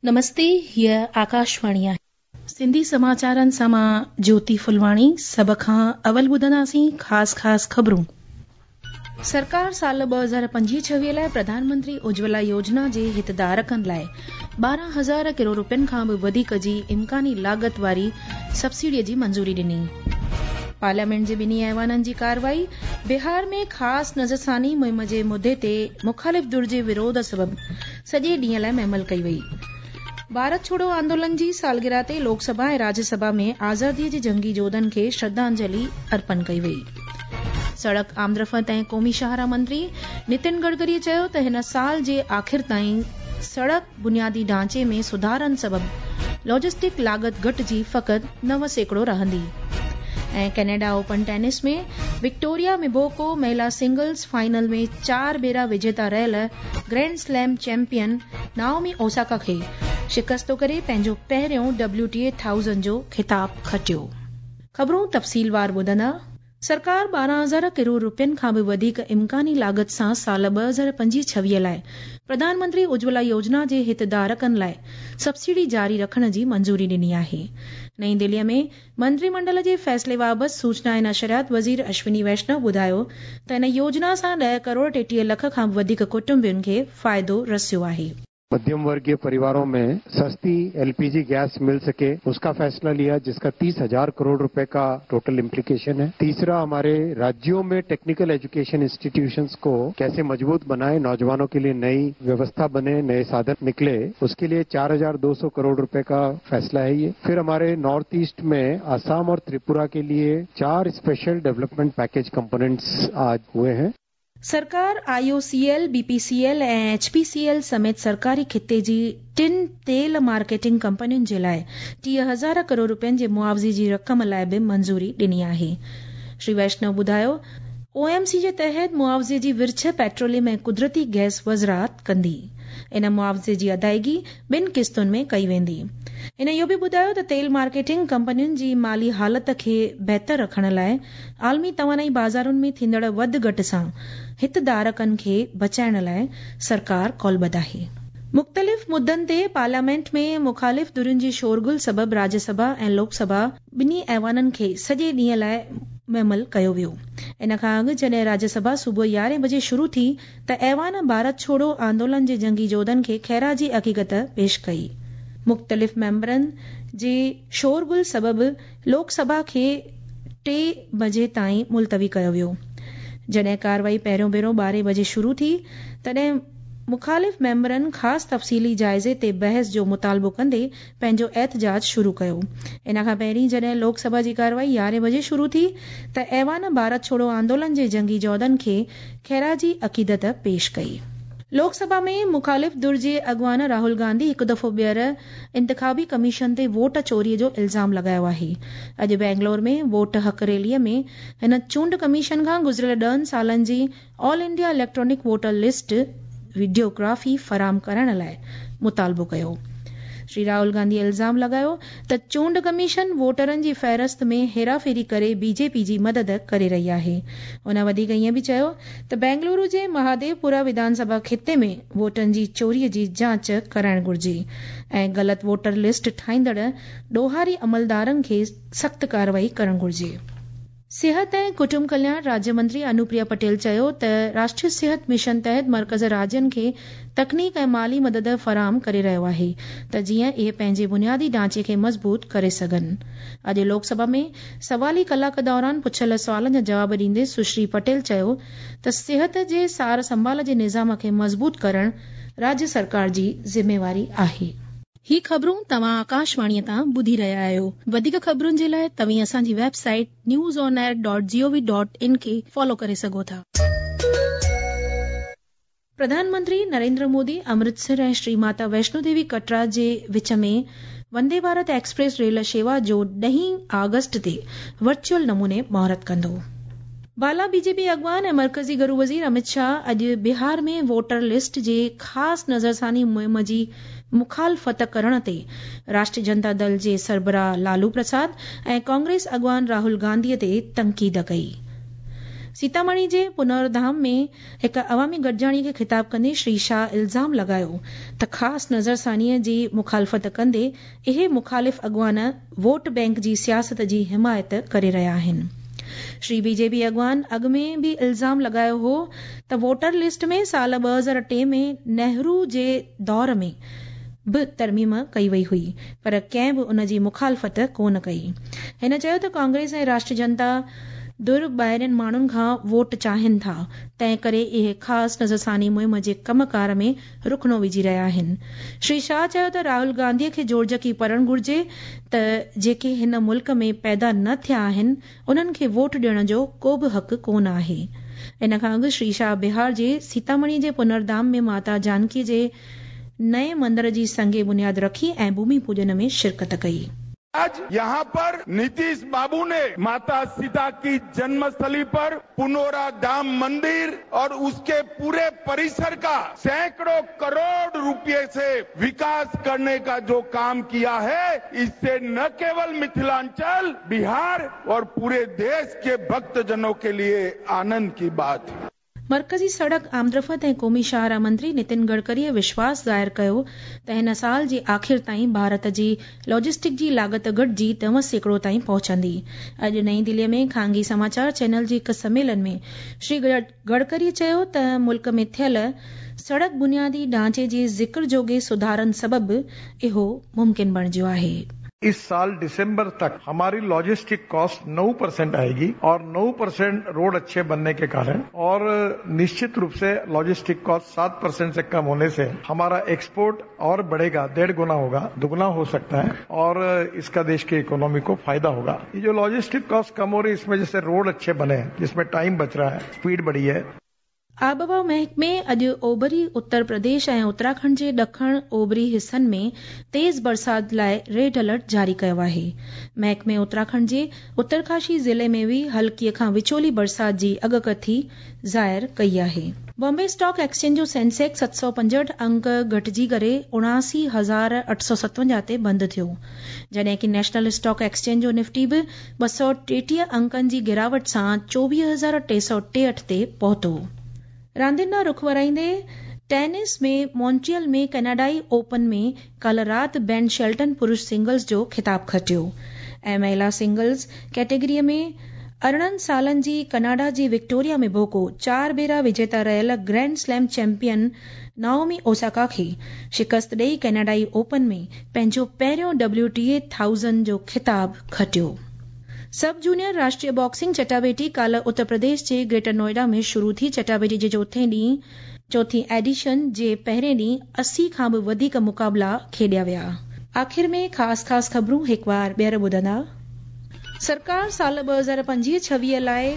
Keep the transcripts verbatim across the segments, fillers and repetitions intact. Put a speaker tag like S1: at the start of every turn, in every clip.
S1: नमस्ते, हीअ आकाशवाणी आहे। सिंधी समाचारनि सां मां ज्योति फुलवाणी। सभ खां अवल ॿुधंदासीं ख़ासि ख़ासि ख़बरूं। सरकार साल ॿ हज़ार पंजवीह छवीह लाइ प्रधानमंत्री उज्ज्वला योजना जे हितधारकनि लाइ ॿारहं हज़ार करोड़ रुपयनि खां बि वधीक जी इम्कानी लागत वारी सब्सिडीअ जी मंज़ूरी ॾिनी। पार्लियामेंट जे ॿिन्ही ऐवाननि जी कार्रवाई बिहार में ख़ासि नज़रसानी मुहिम जे मुद्दे ते मुखालिफ़ धुर जे विरोध सबबि सॼे ॾींहं लाइ महमल कई वई। भारत छोड़ो आंदोलन जी सालगिरह ते लोकसभा ऐं राज्यसभा में आज़ादीअ जे जंगी जोधनि खे श्रद्धांजलि अर्पण कई वई। सड़क आमदरफ़्त ऐं क़ौमी शाहराह मंत्री नितिन गडकरी चयो त हिन साल जे आख़िर ताईं सड़क बुनियादी ढांचे में सुधारनि सबबि लॉजिस्टिक लागत घटिजी फ़क़ति नव सैकड़ो रहंदी। ऐं कनाडा ओपन टेनिस में विक्टोरिया मिबोको महिला सिंगल्स फाइनल में चार भेरा विजेता रहियल grand slam champion Naomi Osaka खे शिकस्तो करे पंहिंजो पहिरियों डब्ल्यू टी ए थाउज़ंड जो ख़िताब खटियो। ख़बरूं तफ़सीलवार ॿुधंदा। सरकार ॿारहं हज़ार करोड़ रुपयनि खां बि वधीक इम्कानी लागत सां साल ॿ हज़ार पंजवीह छवीह लाइ प्रधानमंत्री उज्ज्वला योजना जे हितधारकनि लाइ सब्सिडी जारी रखण जी मंज़ूरी ॾिनी आहे। नई दिल्लीअ में मंत्रिमंडल जे फ़ैसिले बाबति सूचना ऐं नशरियात वज़ीर अश्विनी वैष्णव ॿुधायो त इन योजना सां ॾह करोड़ टेटीह लख खां बि वधीक कुटुंबनि खे फ़ाइदो रसियो आहे।
S2: मध्यम वर्गीय परिवारों में सस्ती एलपीजी गैस मिल सके उसका फैसला लिया, जिसका तीस हजार करोड़ रुपए का टोटल इम्प्लीकेशन है। तीसरा, हमारे राज्यों में टेक्निकल एजुकेशन इंस्टीट्यूशंस को कैसे मजबूत बनाए, नौजवानों के लिए नई व्यवस्था बने, नए साधन निकले, उसके लिए चार हजार दो सौ करोड़ रुपए का फैसला है ये। फिर हमारे नॉर्थ ईस्ट में असम और त्रिपुरा के लिए चार स्पेशल डेवलपमेंट पैकेज कंपोनेंट्स आज हुए हैं।
S1: सरकार आईओसीएल, बीपीसीएल ऐं एचपीसीएल समेत सरकारी खिते जी टिनि तेल मार्केटिंग कंपनियुनि जे लाइ टीह हज़ार करोड़ रुपयनि जे मुआवज़े जी रक़म लाइ बि मंज़ूरी ॾिनी आहे। श्री वैष्णव ॿुधायो ओएमसी जे तहत मुआवज़े जी विर्छ पेट्रोलियम ऐं कुदरती गैस वज़ारत कंदी। इन मुआवज़े जी अदायगी ॿिनि क़िस्तुनि में कई वेंदी। हिन इहो बि ॿुधायो त तेल मार्केटिंग कंपनियुनि जी माली हालत खे बहितर रखण लाइ आलमी तवानाई बाज़ारुनि में थींदड़ वधि घटि सां हितधारकनि खे बचाइण लाइ सरकार कौलबद्ध आहे। मुख़्तलिफ़ मुद्दनि ते पार्लियामेंट में मुखालिफ़ धुरियुनि जी शोरगुल सबबि राज्यसभा ऐं लोकसभा ॿिन्ही ऐवाननि खे सॼे ॾींहं लाइ महमल कयो वियो। इन खां अॻु जॾहिं राज्यसभा सुबुह यारहें बजे शुरू थी त ऐवान भारत छोड़ो आंदोलन जे जंगी जोधनि खे ख़ैराजी हक़ीक़त पेश कई। मुख़्तलिफ़ मेंबरनि जे शोरगुल सबबि लोकसभा खे टे बजे ताईं मुलतवी कयो वियो। जॾहिं कार्रवाई पहिरियों भेरो ॿारहें बजे शुरू थी तॾहिं मुखालिफ़ मेंबरनि ख़ासि तफ़सीली जाइज़े ते बहस जो मुतालबो कंदे पंहिंजो एहतजाज शुरू कयो। इन खां पहिरीं जॾहिं लोकसभा जी कार्रवाई यारहें बजे शुरू थी त ऐवान भारत छोड़ो आंदोलन जे जंगी जोधनि खे ख़ैराजी अक़ीदत पेश कई। लोकसभा में मुखालिफ़ धुर जे अॻवान राहुल गांधी हिकु दफ़ो ॿीहर इंतिख़ाबी कमीशन ते वोट चोरीअ जो इल्ज़ाम लॻायो आहे। अॼु बेंगलोर में वोट हक़ रैलीअ में हिन चूंड कमीशन खां गुज़िरियल ॾहनि सालनि जी all India electronic voter list videography फराहम करण लाइ मुतालबो कयो। श्री राहुल गांधी इल्ज़ाम लॻायो त चूंड कमीशन वोटरनि जी फ़हरिस्त में हेराफेरी करे बीजेपी जी मदद करे रही आहे। हुन वधीक ईअं बि चयो त बेंगलुरु जे महादेवपुरा विधानसभा खिते में वोटनि जी चोरीअ जी जांच कराइण घुर्जे ऐं ग़लति वोटर लिस्ट ठाहींदड़ ॾोहारी अमलदारनि खे सख़्त कार्रवाई करणु घुर्जे। सिहत ऐं कुटुंब कल्याण राज्य मंत्री अनुप्रिया पटेल चयो त राष्ट्रीय सिहत मिशन तहत मर्कज़ राज्यनि खे तकनीक ऐं माली मदद फराहम करे रहियो आहे त जीअं इहे पंहिंजे बुनियादी ढांचे खे मज़बूत करे सघनि। अॼु लोकसभा में सवाली कलाक दौरान पुछियल सुवालनि जा जवाब ॾींदे सुश्री पटेल चयो त सिहत जे सार संभाल जे निज़ाम खे मज़बूत करण राज्य सरकार जी ज़िम्मेवारी आहे। ही ख़बरूं तव्हां आकाशवाणीअ तां ॿुधी रहिया आहियो। वधीक ख़बरुनि जे लाइ तव्हीं असांजी website news on air dot G O V dot in खे फॉलो करे सघो था। प्रधानमंत्री नरेंद्र मोदी अमृतसर ऐं श्री माता वैष्णो देवी कटरा जे विच में वंदे भारत एक्सप्रेस रेल शेवा जो ॾहीं आगस्ट ते वर्चुअल नमूने मुहूर्त कंदो। बाला बीजेपी अॻवान ऐं मर्कज़ी घरू वज़ीर अमित शाह अॼु बिहार में वोटर लिस्ट जे ख़ासि नज़रसानी मुहिम जी मुखालफ़त करण ते राष्ट्रीय जनता दल जे सरबराह लालू प्रसाद ऐं कांग्रेस अॻवान राहुल गांधीअ ते तनक़ीद कई। सीतामढ़ी जे पुनर्धाम में हिकु अवामी गॾिजाणी खे ख़िताब कंदे श्री शाह इल्ज़ाम लॻायो त ख़ासि नज़रसानीअ जी मुखालफ़त कंदे इहे मुखालिफ़ अॻुवान वोट बैंक जी सियासत जी हिमायत करे रहिया आहिनि। श्री बीजेपी अॻुवान अॻु में बि इल्ज़ाम लॻायो हो त वोटर लिस्ट में साल ॿ हज़ार टे में नेहरू जे दौर में बि तरमीम कई वई हुई, पर कंहिं बि उन जी मुखालफ़त कोन कई। हिन चयो त कांग्रेस ऐं राष्ट्रीय जनता धुर ॿाहिरियनि माण्हुनि खां वोट चाहिनि था, तंहिं करे इहे ख़ासि नज़रसानी मुहिम जे कमकार में रुखणो विझी रहिया आहिनि। श्री शाह चयो त राहुल गांधीअ खे जोड़जकी पढ़णु घुर्जे त जेके हिन मुल्क में पैदा न थिया आहिनि उन्हनि खे वोट ॾियण जो को बि हक़ कोन आहे। इन खां अॻु श्री शाह बिहार जे सीतामढ़ी जे पुनर्धाम में माता जानकी जे नए मंदिर जी संगे बुनियाद रखी ऐं भूमि पूजन में शिरकत कई।
S3: आज यहाँ पर नीतीश बाबू ने माता सीता की जन्मस्थली पर पुनौरा धाम मंदिर और उसके पूरे परिसर का सैकड़ों करोड़ रुपए से विकास करने का जो काम किया है, इससे न केवल मिथिलांचल, बिहार और पूरे देश के भक्तजनों के लिए आनंद की बात है।
S1: मरकज़ी सड़क आमदरफ़्त ऐं क़ौमी शाहराह मंत्री नितिन गडकरीअ विश्वास ज़ाहिर कयो त हिन साल जे आख़िर ताईं भारत जी लॉजिस्टिक जी लागत घटिजी नव सैकड़ो ताईं पहुचंदी। अॼु नई दिल्लीअ में खानगी समाचार चैनल जे हिकु सम्मेलन में श्री गडकरी चयो त मुल्क में थियल सड़क बुनियादी ढांचे जे ज़िक्र जोगे सुधारनि सबबु इहो मुमकिन बणिजो आहे।
S4: इस साल दिसंबर तक हमारी लॉजिस्टिक कॉस्ट नौ परसेंट आएगी और नौ परसेंट रोड अच्छे बनने के कारण और निश्चित रूप से लॉजिस्टिक कॉस्ट सात परसेंट से कम होने से हमारा एक्सपोर्ट और बढ़ेगा, डेढ़ गुना होगा, दुगना हो सकता है और इसका देश की इकोनॉमी को फायदा होगा। ये जो लॉजिस्टिक कॉस्ट कम हो रही है, इसमें जैसे रोड अच्छे बने हैं, जिसमें टाइम बच रहा है, स्पीड बढ़ी है।
S1: आबहवा महकमे अॼु ओभरी उत्तर प्रदेश ऐं उत्तराखंड जे ॾखण ओभरी हिसनि में तेज़ बरसात लाइ रेड अलर्ट जारी कयो आहे। महकमे उत्तराखंड जे उत्तरकाशी ज़िले में बि हल्कीअ खां विचोली बरसात जी अॻकथी ज़ाहिर कई आहे। बॉम्बे स्टॉक एक्सचेंज जो सेंसेक्स सत सौ पंजहठि अंक घटिजी करे उणासी हज़ार अठ सौ सतवंजाह ते बंदि थियो, जॾहिं की नेशनल स्टॉक एक्सचेंज जो निफ्टी बि ॿ सौ टेटीह अंकनि जी गिरावट सां चोवीह हज़ार टे सौ टेहठि ते पहुतो। रांदियुनि ॾांहुं रुख वराईंदे टेनिस में मॉन्ट्रियल में कनाडाई ओपन में काल्ह राति बेन शेल्टन पुरुष सिंगल्स जो ख़िताब खटियो ऐं महिला सिंगल्स कैटेगरीअ में अरिड़हं सालनि जी कनाडा जी विक्टोरिया में बोको चार भेरा विजेता रहियल grand slam champion Naomi Osaka खे शिकस्त ॾेई कनाडाई ओपन में पंहिंजो पहिरियों डब्ल्यू टी ए थाउज़ंड जो ख़िताब खटियो। सब जूनियर राष्ट्रीय बॉक्सिंग चटाबेटी काल्ह उत्तर प्रदेश जे ग्रेटर नोएडा में शुरू थी। चटाबेटी जे चोथे ॾींहुं चोथी एडिशन जे पहिरें ॾींहुं अस्सी खां बि वधीक मुक़ाबला खेॾिया विया। आख़िर में ख़ासि ख़ासि ख़बरूं हिकु बार ॿीहर ॿुधंदा। सरकार साल ॿ हज़ार पंजवीह छवीह लाइ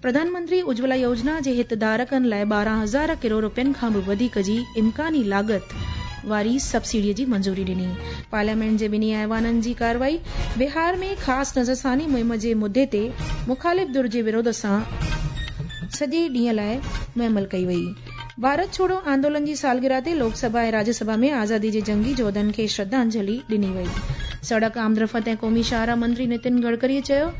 S1: प्रधानमंत्री उज्ज्वला योजना जे हितधारकनि लाइ ॿारहं हज़ार करोड़ रुपयनि खां बि वधीक जी इम्कानी लागत वारी सब्सिडीअ जी मंजूरी ॾिनी। पार्लियामेंट जे ॿिन्ही ऐवाननि जी कार्रवाई बिहार में ख़ासि नज़रसानी मुहिम जे मुद्दे ते मुखालिफ़ धुर जे विरोध सां सॼे ॾींहं लाइ मुअमल कई वई। भारत छोड़ो आंदोलन जी सालगिरह ते लोकसभा ऐं राज्यसभा में आज़ादी जे जंगी जोधनि खे श्रद्धांजलि ॾिनी वई। सड़क आमदरफ़्त ऐं क़ौमी शाहराह मंत्री नितिन गडकरीअ चयो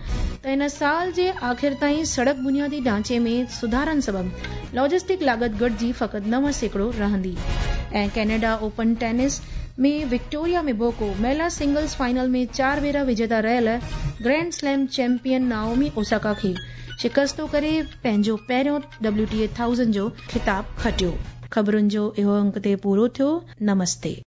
S1: त हिन साल जे आख़िर ताईं सड़क बुनियादी ढांचे में सुधारनि सबबु लॉजिस्टिक लागत घटिजी फ़क़ति नव सैकड़ो रहंदी। ऐं कनाडा ओपन टेनिस में विक्टोरिया में बोको महिला सिंगल्स फाइनल में चार भेरा विजेता रहियल grand slam champion Naomi Osaka खे शिकस्तो करे पंहिंजो पहिरियों डब्ल्यू टी ए थाउज़ंड जो ख़िताब खटियो। ख़बरुनि जो इहो अंक ते पूरो थियो। नमस्ते।